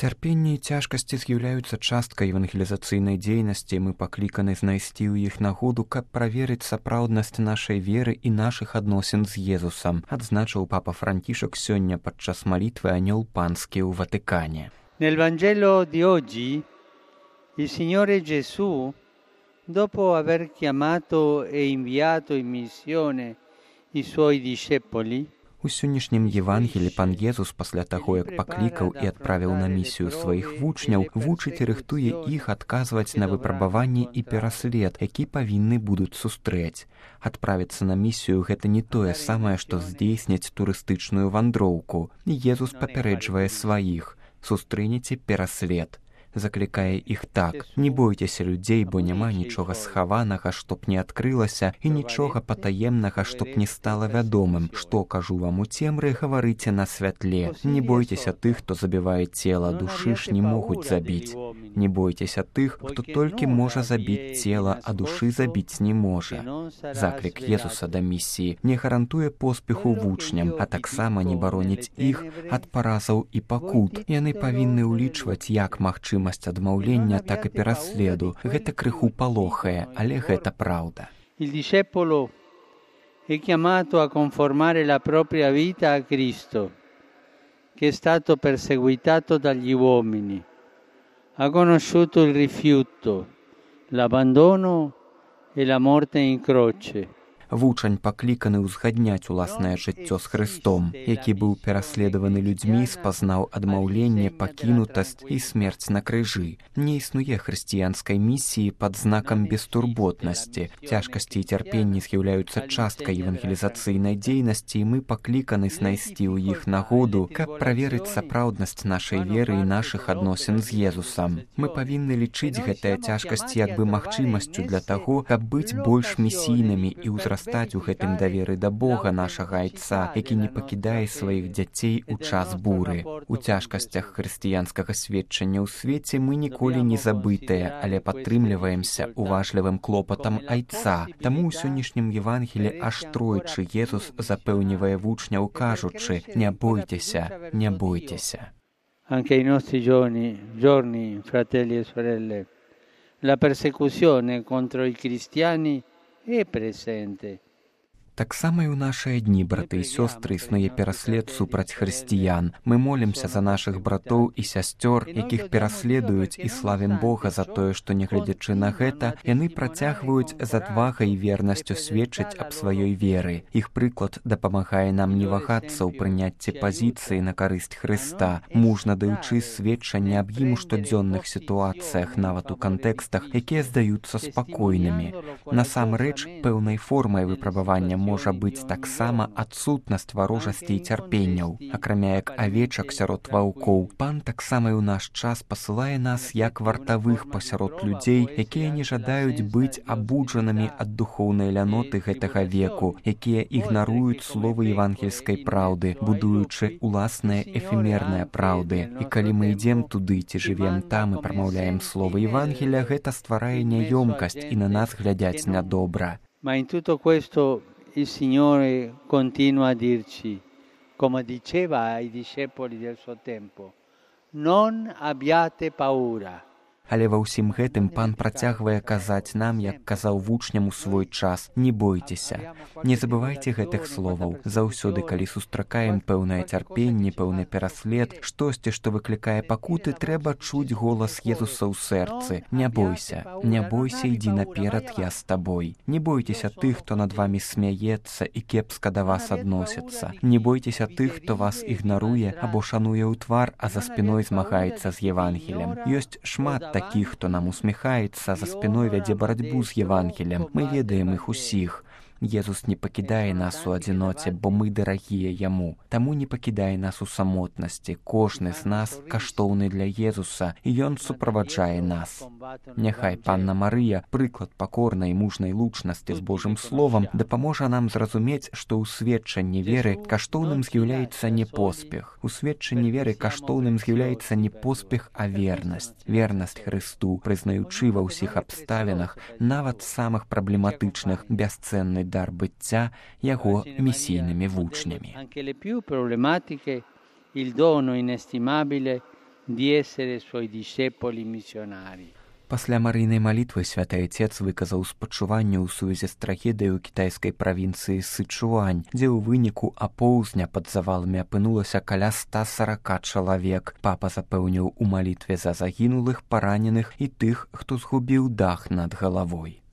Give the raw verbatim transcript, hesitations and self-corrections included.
Цярпенне і цяжкасці з'яўляюцца часткай евангелізацыйнай дзейнасці, і мы пакліканы знайсці ў іх нагоду, каб праверыць сапраўднасць нашай веры і нашых адносін з Езусам, адзначыў папа Францішак сёння падчас малітвы Анёл Панскі ў Ватыкане. Nel Vangelo di oggi il Signore Gesù, dopo aver chiamato e inviato in missione i suoi discepoli, У сённяшнім Євангелі пан Езус пасля таго, як паклікаў і адправіў на місію сваіх вучняў, вучыць і рыхтуе іх адказваць на выпрабаванні і пераслед, які павінны будуць сустрэць. Адправіцца на місію – гэта не тое самае, што здзейсніць турыстычную вандроўку. Езус папярэджвае сваіх: «Сустрэнеце пераслед». Заклікае іх так: «Не бойцеся людзей, бо няма нічога схаванага, што б не адкрылася, і нічога патаемнага, што б не стала вядомым. Што кажу вам у цемры, гаварыце на святле. Не бойцеся тых, хто забівае цела, душы ж не могуць забіць. Не бойцеся тых, хто толькі можа забіць цела, а душы забіць не можа». Заклік Езуса да місіі не гарантуе поспеху вучням, а таксама не бароніць іх ад паразаў і пакут. Яны павінны ўлічваць як магчыма адмаўлення, так і пераследу. Гэта крыху палохае, але гэта праўда. Il discepolo è chiamato a conformare la propria vita a Cristo, che è stato perseguitato dagli uomini, ha conosciuto il rifiuto, l'abbandono e la morte in croce. Вучань пакліканы ўзгадняць уласнае жыццё з Хрыстом, які быў пераследаваны людзьмі, спазнаў адмаўленне, пакінутасць і смерць на крыжы. Не існуе хрысціянскай місіі пад знакам бестурботнасці. Цяжкасці і цярпенні з'яўляюцца часткай евангелізацыйнай дзейнасці, і мы пакліканы знайсці ў іх нагоду, каб праверыць сапраўднасць нашай веры і нашых адносін з Езусам. Мы павінны лічыць гэтыя цяжкасці як бы магчымасцю для таго, каб быць больш місійнымі і ўзрастаць стаць у гэтым даверы да Бога, нашага Айца, які не пакідае сваіх дзяцей у час буры. У цяжкасцях хрысціянскага сведчання ў свеце мы ніколі не забытыя, але падтрымліваемся уважлівым клопатам Айца. Таму ў сённяшнім Евангелі аж тройчы Езус запэўнівае вучняў, кажучы: «Не бойцеся, не бойцеся». Anche ai nostri giorni, giorni, fratelli e sorelle, la persecuzione contro i cristiani è presente. Таксама і ў нашыя дні, браты і сёстры, існуе пераслед супраць хрысціян. Мы молімся за нашых братоў і сясцёр, якіх пераследуюць, і славім Бога за тое, што, нягледзячы на гэта, яны працягваюць з адвагай і вернасцю сведчыць аб сваёй веры. Іх прыклад дапамагае нам не вагацца ў прыняцці пазіцыі на карысць Хрыста, мужна даючы сведчанне аб ім у штодзённых сітуацыях, нават у кантэкстах, якія здаюцца спакойнымі. Насамрэч, пэўнай формай выпрабавання можа быць таксама адсутнасць варожасці і цярпенняў. Акрамя як авечак сярод ваўкоў, пан таксама і ў наш час пасылае нас як вартавых пасярод людзей, якія не жадаюць быць абуджанымі ад духоўнай ляноты гэтага веку, якія ігнаруюць словы евангельскай праўды, будуючы уласныя эфемерныя праўды. І калі мы ідзем туды ці жывем там і прамаўляем словы Евангеля, гэта стварае няёмкасць і на нас глядяць нядобра. Ma in tutto questo il Signore continua a dirci, come diceva ai discepoli del suo tempo: non abbiate paura. Але ва ўсім гэтым пан працягвае казаць нам, як казаў вучням у свой час: «Не бойцеся». Не забывайце гэтых словаў. Заўсёды, калі сустракаем пэўнае цярпенне, пэўны пераслед, штосьці, што выклікае пакуты, трэба чуць голас Езуса ў сэрцы: «Не бойся, не бойся, ідзі наперад, я з табой». Не бойцеся тых, хто над вамі смяецца і кепска да вас адносіцца. Не бойцеся тых, хто вас ігнаруе або шануе ў твар, а за спіной змагаецца з Евангелем. Ёсць шмат такіх, хто нам усміхаецца, за спіной вядзе барацьбу з Евангелем. Мы ведаем іх усіх. Езус не пакідае нас у адзіноце, бо мы дарагія яму. Таму не пакідае нас у самотнасці. Кожны з нас каштоўны для Езуса, і ён суправаджае нас. Няхай панна Марыя, прыклад пакорнай і мужнай лучнасці з Божым словам, дапаможа нам зразумець, што ў сведчанні веры каштоўным з'яўляецца не поспех. У сведчанні веры каштоўным з'яўляецца не поспех, а вернасць. Вернасць Хрысту, прызнаючы ва ўсіх абставінах, нават самых праблематычных, бясцэнны дар быцця яго місійнымі вучнямі. Anche le più problematiche, il dono inestimabile di essere suoi discepoli missionari. Пасля марыйнай малітвы святы айцец выказаў спачуванне ў сувязі з трагедыяй у кітайскай правінцыі Сычуань, дзе ў выніку апоўзня пад заваламі апынулася каля ста сорока чалавек. Папа запэўніў у малітве за загінулых, параненых і тых, хто згубіў дах над галавой.